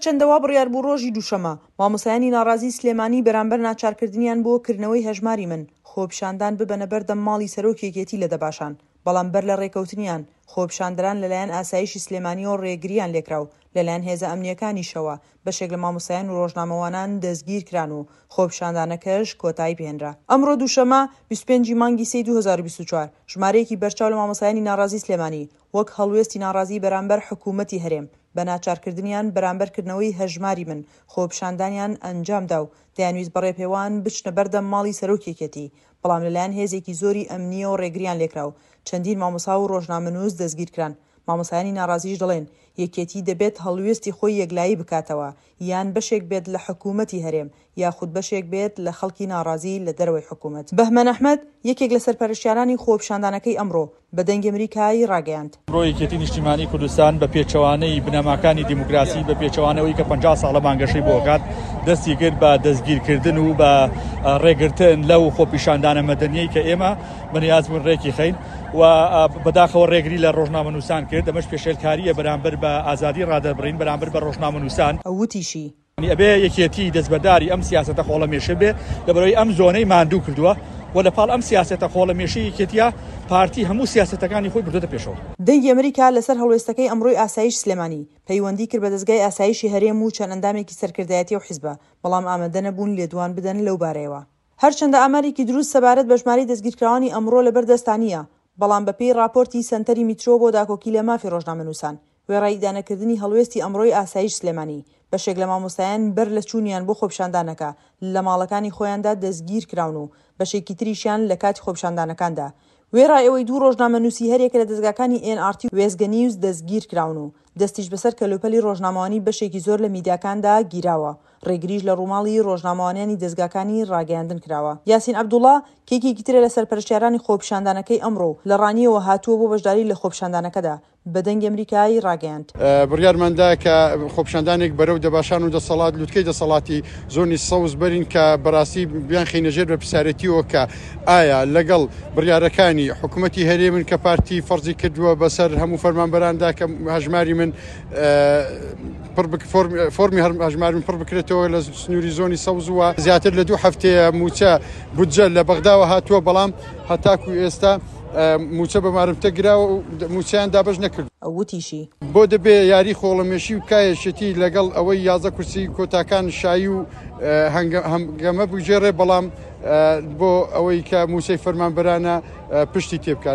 هەرچەندە وا بڕیار بوو ڕۆژی دووشەممە، مامۆستایانی ناڕازیی سلێمانی بەرامبەر ناچارکردنیان بۆ کردنەوەی هەژماری من، خۆپیشاندان ببەنە بەردەم ماڵی سەرۆکی یەکێتی لە دەباشان، بەڵام بەر لە ڕێکەوتنیان، خۆپیشاندەران لەلایەن ئاسایشی سلێمانییەوە ڕێگرییان لێکرا و لەلایەن هێزە ئەمنییەکانیشەوە بەشێک لە مامۆستایان و ڕۆژنامەوانان دەستگیرکران و خۆپیشاندانەکەش کۆتایی پێهێنرا. ئەمڕۆ دووشەممە، 25 ی مانگی سێی 2024، ژمارەیەکی بەرچاو لە مامۆستایانی ناڕازیی سلێمانی، وەک هەڵوێستی ناڕازیی بەرامبەر حکوومەتی هەرێم، بە ناچارکردنیان بەرامبەر کردنەوەی هەژماری من، خۆپیشاندانیان ئەنجامدا و دەیانویست بە ڕێپێوان بچنە بەردەم ماڵی سەرۆکی یەکێتی، بەڵام لەلایەن هێزێکی زۆری ئەمنییەوە ڕێگریان لێکرا و چەندین مامۆسا و ڕۆژنامەنووس دەستگیرکران. مامۆستایانی ناڕازیش دەڵێن، یەکێتی دەبێت هەڵوێستی خۆی یەکلایی بکاتەوە، یان بەشێک بێت لە حکوومەتی هەرێم، یاخود بەشێک بێت لە خەڵکی ناڕازی لە دەرەوەی حکوومەت. بەهمەن ئەحمەد، یەکێک لە سەرپەرشتیارانی خۆپیشاندانەکەی ئەمڕۆ، بە دەنگی ئەمریکای ڕاگەیاند. ئەمڕۆ یەکێتی نیشتیمانی کوردستان بە پێچەوانەی بنەماکانی دیموکراسی، بە پێچەوانەی ئەوەی کە 50 ساڵە بانگەشەی بۆ ئەکات، دەستی کرد بە دەستگیرکردن و بە ڕێگرتن لەو خۆپیشاندانە مەدەنیەی کە ئێمە بەنیاز بوون ڕێکی خەین و بەداخەوە ڕێگری لە ڕۆژنامەنووسان کرد، ئەمەش پێشێلکارییە بەرامبەر بە ئازادی ڕادەربڕین، بەرامبەر بە ڕۆژنامەنووسان. ئەو وتیشی، ئەبێ یەکێتی دەستبەرداری ئەم سیاسەتە خۆڵەمێشە بێ، لەبەرئەوەی ئەم زۆنەی ماندوو کردووە و لەپاڵ ئەم سیاسەتە خۆڵەمێشەی یەکێتیە پارتی هەموو سیاسەتەکانی خۆی بردۆتە پێشەوە. دەنگی ئەمریکا لەسەر هەڵوێستەکەی ئەمڕۆی ئاسایش سلێمانی، پەیوەندی کرد بە دەزگای ئاسایشی هەرێم و چەند ئەندامێکی سەرکردایەتی ئەو حیزبە، بەڵام ئامادە نەبوون لێدوان بدەن لەو بارەیەوە. هەرچەندە ئامارێکی دروست سەبارەت بە ژمارەی دەستگیرکراوانی ئەمڕۆ لەبەر دەستا نییە، بەڵام بەپێی ڕاپۆرتی سەنتەری میترۆ بۆ داکۆکی لە مافی ڕۆژنامەنووسان، وێڕای ئیدانەکردنی هەڵوێستی ئەمڕۆی ئاسایش سلێمانی، بەشێک لە مامۆستایان بەر لە چوونیان بۆ خۆپیشاندانەکە لە ماڵەکانی خۆیاندا دەستگیرکراون و بەشێکی تریشیان لە کاتی خۆپیشاندانەکاندا وێڕای ئەوەی دوو ڕۆژنامەنووسی هەریەکە لە دەزگاکانی ئێن ئاڕ تی و وێستگە نیوز دەستگیرکراون و دەستیش بەسەر کەلوپەلی ڕۆژنامەوانی بەشێکی زۆر لە میدیاکاندا گیراوە، ڕێگریش لە ڕووماڵی ڕۆژنامەوانیانی دەزگاکانی ڕاگەیاندن کراوە. یاسین عەبدوڵا، کە یەکێکی ترە لە سەرپەرشتیارانی خۆپیشاندانەکەی ئەمڕۆ و لە ڕانیەوە هاتووە بۆ بەشداری لە خۆپیشاندانەکەدا، بە دەنگی ئەمریکای ڕاگەیاند. بڕیارمان دا کە خۆپیشاندانێک بەرەو دەباشان و دەسەڵات لوتکەی دەسەڵاتی زۆنی سەوز بەرین کە بەراستی بیانخەینە ژێر بەرپرسیارێتیەوە کە ئایا لەگەڵ بڕیارەکانی حکومەتی هەرێمن کە پارتی فەرزی کردووە بەسەر هەموو فەرمانبەراندا کە هەژماری من فۆرمی هەژماری من پڕ بکرێتەوە لە سنووری زۆنی سەوز وە زیاتر لە دوو هەفتەیە مووچە بودجە لە بەغداوە هاتووە بەڵام هەتاکو ئێستا مووچە بە مارمتە گراوە و مووچەیان دابەش نەکردووە. ئەو وتیشی. بۆ دەبێ یاری خۆڵەمێشی بکا یەکێتی لەگەڵ ئەوەی 11 کورسی کۆتاکان شایی و هەنگەمە بگێڕێ بەڵام بۆ ئەوەی کە مووچەی فەرمانبەرانە پشتی تێبکات.